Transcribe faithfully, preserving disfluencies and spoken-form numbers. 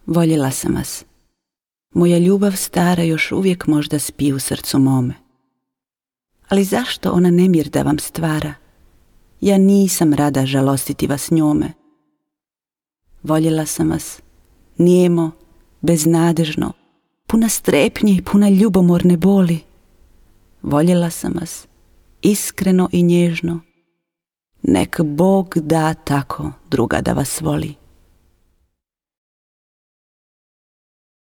Voljela sam vas. Moja ljubav stara još uvijek možda spi u srcu mome. Ali zašto ona nemir da vam stvara? Ja nisam rada žalostiti vas njome. Voljela sam vas, nijemo, beznadežno, puna strepnje i puna ljubomorne boli. Voljela sam vas, iskreno i nježno. Nek Bog da tako druga da vas voli.